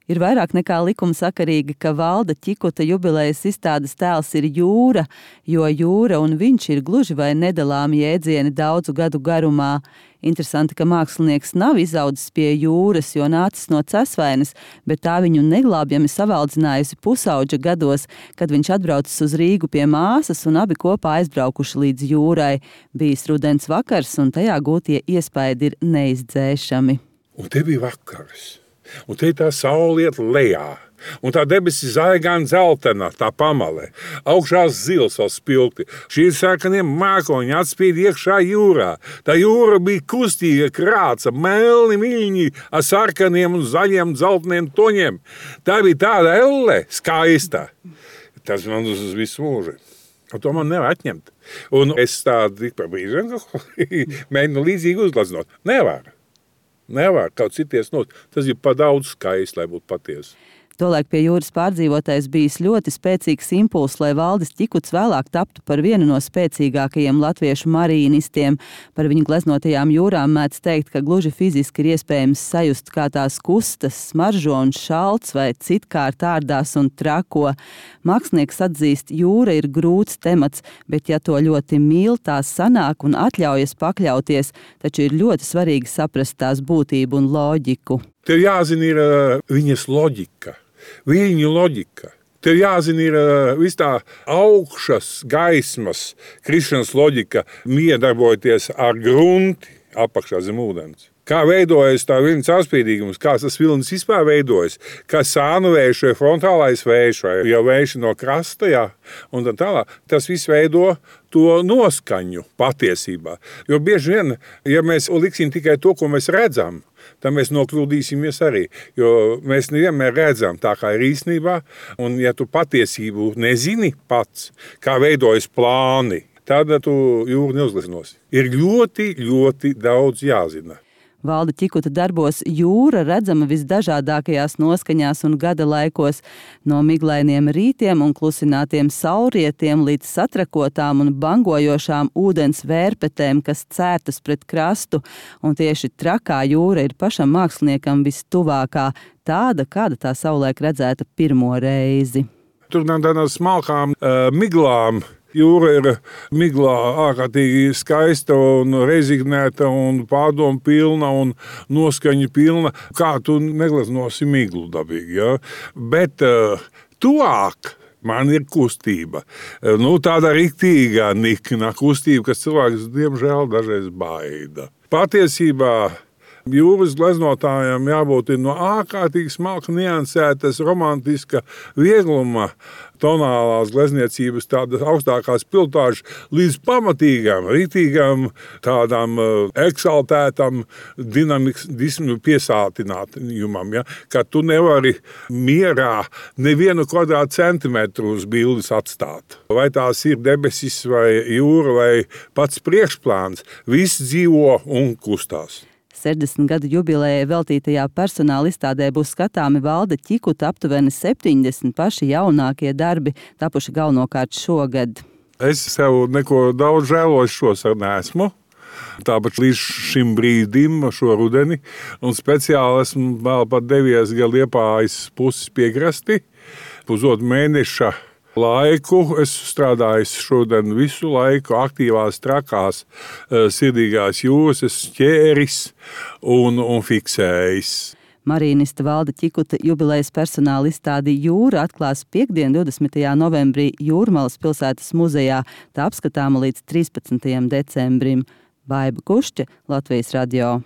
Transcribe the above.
Ir vairāk nekā likumsakarīgi, ka Valda Ķikuta jubilejas izstādes tēls ir jūra, jo jūra un viņš ir gluži vai nedalāmi jēdzieni daudzu gadu garumā. Interesanti, ka mākslinieks nav izaudzis pie jūras, jo nācis no Cesvainas, bet tā viņu neglābjami savaldzinājusi pusauģa gados, kad viņš atbraucis uz Rīgu pie māsas un abi kopā aizbraukuši līdz jūrai. Bijis rudens vakars un tajā gūtie iespaidi ir neizdzēšami. Un te bija vakars. Un te tā saule iet lejā, un tā debesis zaigāna dzeltena, tā pamale, augšā zils vēl spilgti. Šī sarkanie mākoņi atspīd iekšā jūrā. Tā jūra bija kustīga krāca, melni miļņi ar sarkaniem un zaļiem dzelteniem toņiem. Tā bija tāda elle, skaista. Tas man uz visu mūžu. Un to man nevar atņemt. Un es tādu tik par brīžu mēģinu līdzīgi uzgleznot. Nevar kaut cities not. Tas ir pa daudz skaisti, lai būtu patiesi. Tolaik pie jūras pārdzīvotais bijis ļoti spēcīgs impulss, lai Valdis Ķikuts vēlāk taptu par vienu no spēcīgākajiem latviešu marīnistiem. Par viņu gleznotajām jūrām mēdz teikt, ka gluži fiziski ir iespējams sajust, kā tās kustas, smaržo un šalts vai citkārt ārdās un trako. Mākslinieks atzīst, jūra ir grūts temats, bet ja to ļoti mīl, tā sanāk un atļaujas pakļauties, taču ir ļoti svarīgi saprast tās būtību un loģiku. Tev jāzina ir viņas loģika. Viņu loģika. Tev jāzina ir vis tā augšas gaismas, krišanas loģika, miedarbojoties ar grunti apakšā zem ūdens. Kā veidojas tā viļņu caurspīdīgums, kā tas vilnis vispār veidojas, kā sānu vējš vai frontālais vējš vai jau vējš no krasta, jā, un tā tālāk. Tas viss veido to noskaņu patiesībā. Jo bieži vien, ja mēs liksim tikai to, ko mēs redzam, tad mēs nokļūdīsimies arī, jo mēs nevienmēr redzam tā, kā ir īstenībā, un ja tu patiesību nezini pats, kā veidojas plāni, tad tu jūru neuzgleznosi. Ir ļoti, ļoti daudz jāzina. Valda Ķikuta darbos jūra redzama visdažādākajās noskaņās un gada laikos, no miglainiem rītiem un klusinātiem saulrietiem līdz satrakotām un bangojošām ūdens vērpetēm, kas cērtas pret krastu, un tieši trakā jūra ir pašam māksliniekam vistuvākā, tāda, kāda tā savulaik redzēta pirmo reizi. Tur nav tādām smalkām miglām. Jūra ir miglā ārkārtīgi skaista un rezignēta un pārdomu pilna un noskaņu pilna. Kā tu negleznosi miglu dabīgi, ja? Bet tuvāk man ir kustība. Tāda riktīgā nikna kustība, kas cilvēks diemžēl dažreiz baida. Patiesībā jūras gleznotājiem jābūt no ārkārtīgi smalka, niansētas, romantiska viegluma, tonālās glezniecības, tādas augstākās piltāžas, līdz pamatīgām, rītīgām, tādām eksaltētām, dinamismu piesātinājumam, ja? Ka tu nevari mierā nevienu kvadrātcentimetru uz bildes atstāt. Vai tās ir debesis vai jūra vai pats priekšplāns, viss dzīvo un kustās. 60 gadu jubilejai veltītajā personāla izstādē būs skatāmi Valda Ķikuta aptuveni 70 paši jaunākie darbi, tapuši galvenokārt šogad. Es sev neko daudz žēlošos neesmu. Tāpat līdz šim brīdim, šo rudeni, un speciāli esmu vēl pat devies Liepājas puses piekrasti. Pusotru mēneša laiku es strādāju šodien visu laiku aktīvās, trakās, sirdīgās jūras, es ķēris un fiksējis. Marīnista Valda Ķikuta jubilejas personāla izstādi Jūra atklās piektdien 20. novembrī Jūrmalas pilsētas muzejā, tā apskatāma līdz 13. decembrim. Baiba Kušķe, Latvijas radio.